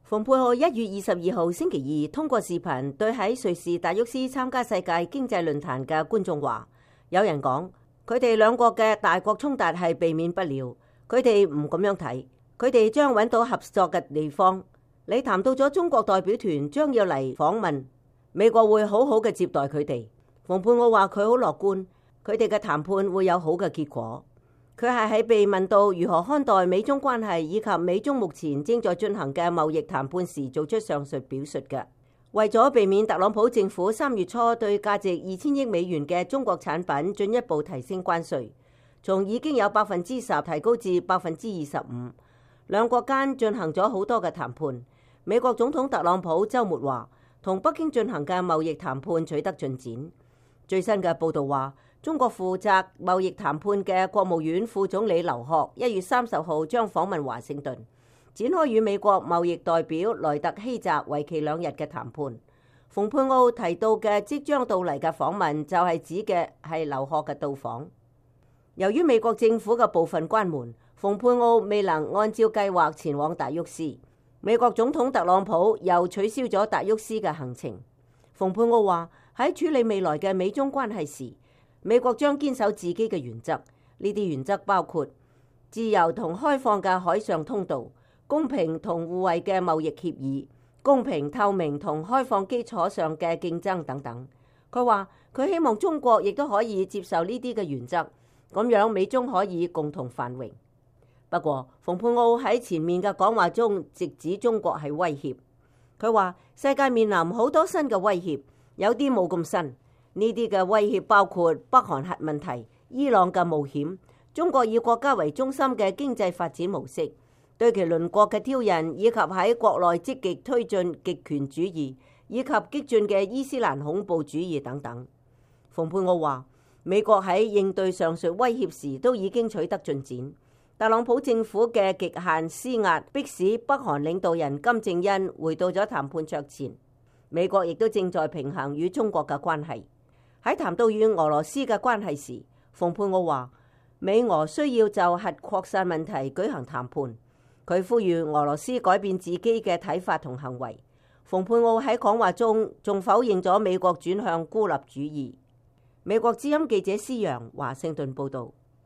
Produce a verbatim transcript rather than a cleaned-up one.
蓬佩奧一月二十二號星期二通過視頻對喺瑞士達沃斯參加世界經濟論壇嘅觀眾話：有人講佢哋兩國嘅大國衝突係避免不了，佢哋唔咁樣睇，佢哋將揾到合作嘅地方。你談到咗中國代表團將要嚟訪問，美國會好好嘅接待佢哋。蓬佩奧話佢好樂觀，佢哋嘅談判會有好嘅結果。佢係喺被問到如何看待美中關係以及美中目前正在進行嘅貿易談判時，做出上述表述嘅。為咗避免特朗普政府三月初對價值二千億美元嘅中國產品進一步提升關稅，從已經有百分之十提高至百分之二十五，兩國間進行咗好多嘅談判。美國總統特朗普週末話，同北京進行嘅貿易談判取得進展。最新嘅報導話，中國負責貿易談判嘅國務院副總理劉鶴一月三十號將訪問華盛頓，展開與美國貿易代表萊特希澤為期兩日嘅談判。蓬佩奧提到嘅即將到嚟嘅訪問就係指嘅係劉鶴嘅到訪。由於美國政府嘅部分關門，蓬佩奧未能按照計劃前往達沃斯。美國總統特朗普又取消咗達沃斯嘅行程。蓬佩奧話喺處理未來嘅美中關係時，美國將堅守自己嘅原則，呢啲原則包括自由同開放嘅海上通道、公平同互惠嘅貿易協議、公平透明同開放基礎上嘅競爭等等。佢話佢希望中國亦都可以接受呢啲嘅原則，咁樣美中可以共同繁榮。不過，蓬佩奧喺前面嘅講話中直指中國係威脅。佢話世界面臨好多新嘅威脅，有啲冇咁新。呢啲嘅威脅包括北韓核問題、伊朗嘅冒險、中國以國家為中心嘅經濟發展模式、對其鄰國嘅挑釁，以及喺國內積極推進極權主義以及激進嘅伊斯蘭恐怖主義等等。蓬佩奧話，美國喺應對上述威脅時都已經取得進展。特朗普政府嘅極限施壓，迫使北韓領導人金正恩回到咗談判桌前。美國亦都正在平衡與中國嘅關係。喺談到與俄羅斯嘅關係時，蓬佩奧話美俄需要就核擴散問題舉行談判。佢呼籲俄羅斯改變自己嘅睇法同行為。蓬佩奧喺講話中仲否認咗美國轉向孤立主義。美國之音記者施揚華盛頓報導。